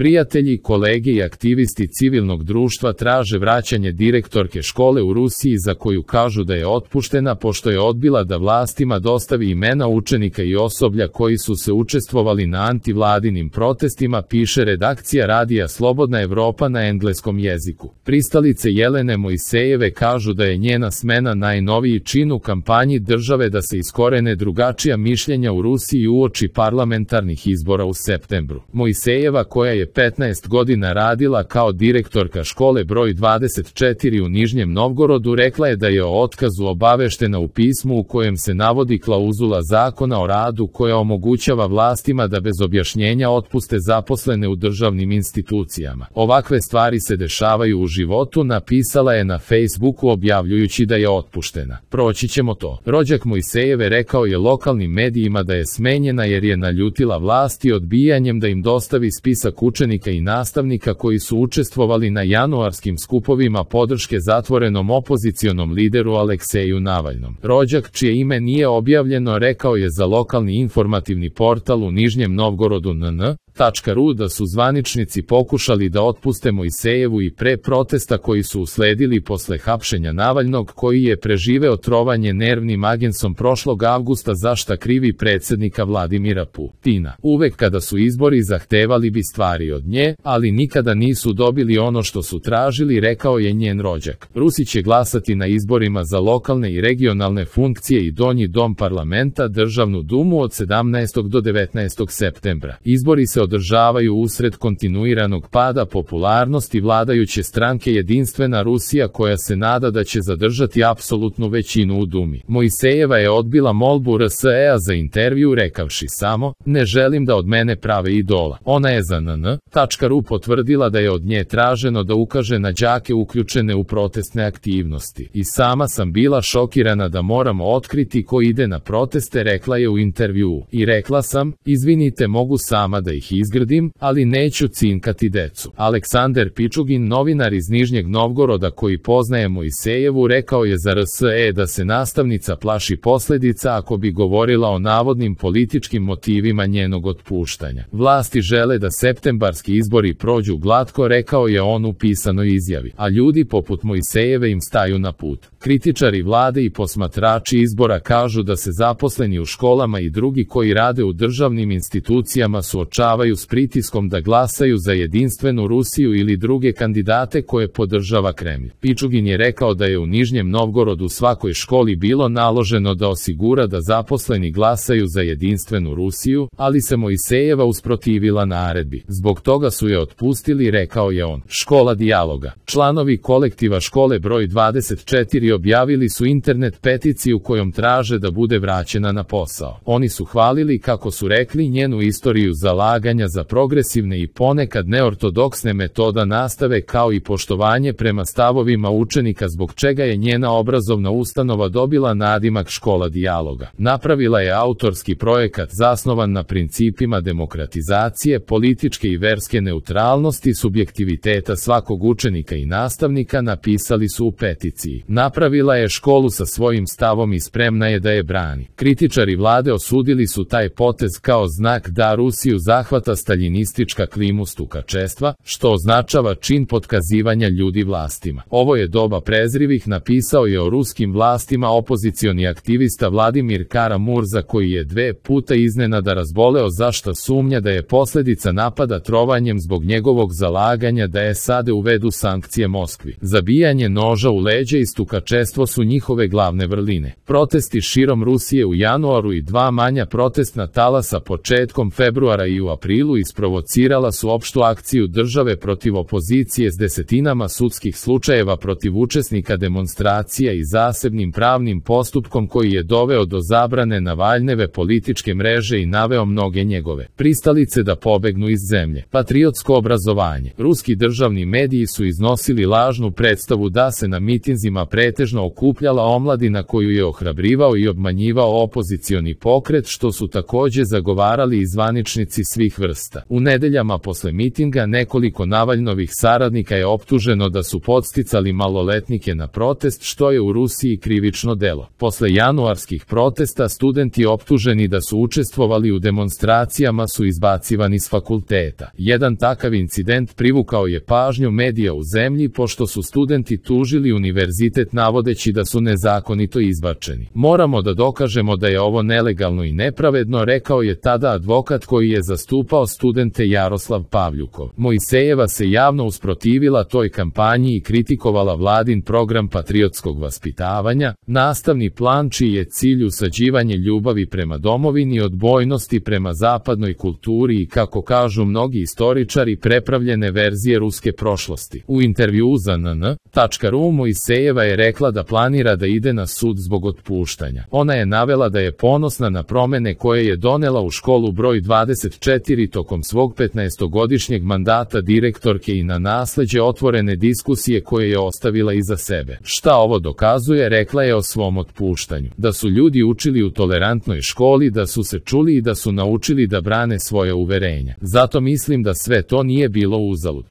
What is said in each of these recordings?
Prijatelji, kolege i aktivisti civilnog društva traže vraćanje direktorke škole u Rusiji za koju kažu da je otpuštena pošto je odbila da vlastima dostavi imena učenika i osoblja koji su se učestvovali na antivladinim protestima, piše redakcija radija Slobodna Evropa na engleskom jeziku. Pristalice Jelene Mojsejeve kažu da je njena smena najnoviji čin u kampanji države da se iskorene drugačija mišljenja u Rusiji uoči parlamentarnih izbora u septembru. Mojsejeva, koja je 15 godina radila kao direktorka škole broj 24 u Nižnjem Novgorodu, rekla je da je o otkazu obaveštena u pismu u kojem se navodi klauzula zakona o radu koja omogućava vlastima da bez objašnjenja otpuste zaposlene u državnim institucijama. Ovakve stvari se dešavaju u životu, napisala je na Facebooku objavljujući da je otpuštena. Proći ćemo to. Rođak Mojsejeve rekao je lokalnim medijima da je smenjena jer je naljutila vlasti odbijanjem da im dostavi spisak učenika i nastavnika koji su učestvovali na januarskim skupovima podrške zatvorenom opozicionom lideru Alekseju Navalnom. Rođak, čije ime nije objavljeno, rekao je za lokalni informativni portal u Nižnjem Novgorodu NN.ru da su zvaničnici pokušali da otpuste Mojsejevu i pre protesta koji su usledili posle hapšenja Navalnog, koji je preživeo trovanje nervnim agensom prošlog avgusta za šta krivi predsjednika Vladimira Putina. Uvek kada su izbori zahtevali bi stvari od nje, ali nikada nisu dobili ono što su tražili, rekao je njen rođak. Rusi će glasati na izborima za lokalne i regionalne funkcije i donji dom parlamenta, državnu dumu od 17. do 19. septembra. Izbori se održavaju usred kontinuiranog pada popularnosti vladajuće stranke Jedinstvena Rusija, koja se nada da će zadržati apsolutnu većinu u Dumi. Mojsejeva je odbila molbu RSE-a za intervju rekavši samo: "Ne želim da od mene prave idola." Ona je za NN.ru potvrdila da je od nje traženo da ukaže na đake uključene u protestne aktivnosti. "I sama sam bila šokirana da moramo otkriti ko ide na proteste," rekla je u intervjuu. "I rekla sam, izvinite, mogu sama da ih izgradim, ali neću cinkati decu." Aleksandar Pičugin, novinar iz Nižnjeg Novgoroda koji poznaje Mojsejevu, rekao je za RSE da se nastavnica plaši posledica ako bi govorila o navodnim političkim motivima njenog otpuštanja. "Vlasti žele da septembarski izbori prođu glatko," rekao je on u pisanoj izjavi, "a ljudi poput Mojsejeve im staju na put." Kritičari vlade i posmatrači izbora kažu da se zaposleni u školama i drugi koji rade u državnim institucijama suočavaju s pritiskom da glasaju za Jedinstvenu Rusiju ili druge kandidate koje podržava Kremlj. Pičugin je rekao da je u Nižnjem Novgorodu svakoj školi bilo naloženo da osigura da zaposleni glasaju za Jedinstvenu Rusiju, ali se Mojsejeva usprotivila naredbi. "Zbog toga su je otpustili," rekao je on. Škola dijaloga. Članovi kolektiva škole broj 24 objavili su internet peticiju kojom traže da bude vraćena na posao. Oni su hvalili, kako su rekli, njenu istoriju zalaganja za progresivne i ponekad neortodoksne metoda nastave kao i poštovanje prema stavovima učenika, zbog čega je njena obrazovna ustanova dobila nadimak Škola dijaloga. Napravila je autorski projekat zasnovan na principima demokratizacije, političke i verske neutralnosti, subjektiviteta svakog učenika i nastavnika, napisali su u peticiji. Napravila je školu sa svojim stavom i spremna je da je brani. Kritičari vlade osudili su taj potez kao znak da Rusiju zahvata staljinistička klima stukačestva, što označava čin potkazivanja ljudi vlastima. "Ovo je doba prezrivih," napisao je o ruskim vlastima opozicioni aktivista Vladimir Kara-Murza, koji je 2 puta iznenada razboleo za šta sumnja da je posljedica napada trovanjem zbog njegovog zalaganja da SAD uvedu sankcije Moskvi. Zabijanje noža u leđa i stukačestvo su njihove glavne vrline. Protesti širom Rusije u januaru i 2 manja protestna talasa početkom februara i u aprilu isprovocirala su opštu akciju države protiv opozicije s desetinama sudskih slučajeva protiv učesnika demonstracija i zasebnim pravnim postupkom koji je doveo do zabrane Navalnjeve političke mreže i naveo mnoge njegove pristalice da pobegnu iz zemlje. Patriotsko obrazovanje. Ruski državni mediji su iznosili lažnu predstavu da se na mitinzima pretežno okupljala omladina koju je ohrabrivao i obmanjivao opozicioni pokret, što su takođe zagovarali i zvaničnici svih vrsta. U nedeljama posle mitinga nekoliko Navalnovih saradnika je optuženo da su podsticali maloletnike na protest, što je u Rusiji krivično delo. Posle januarskih protesta studenti optuženi da su učestvovali u demonstracijama su izbacivani s fakulteta. Jedan takav incident privukao je pažnju medija u zemlji pošto su studenti tužili univerzitet navodeći da su nezakonito izbačeni. Moramo da dokažemo da je ovo nelegalno i nepravedno, rekao je tada advokat koji je zastupao studente Jaroslav Pavljukov. Mojsejeva se javno usprotivila toj kampanji i kritikovala vladin program patriotskog vaspitavanja, nastavni plan čiji je cilj usađivanje ljubavi prema domovini i odbojnosti prema zapadnoj kulturi i, kako kažu mnogi istoričari, prepravljene verzije ruske prošlosti. U intervjuu za NN.ru Mojsejeva je rekla da planira da ide na sud zbog otpuštanja. Ona je navela da je ponosna na promene koje je donela u školu broj 24 tokom svog 15-godišnjeg mandata direktorke i na nasleđe otvorene diskusije koje je ostavila iza sebe. Šta ovo dokazuje, rekla je o svom otpuštanju. Da su ljudi učili u tolerantnoj školi, da su se čuli i da su naučili da brane svoje uverenja. Zato mislim da sve to nije bilo uzalud.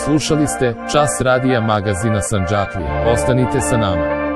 Slušali ste Čas radija magazina Sandžaklija. Ostanite sa nama.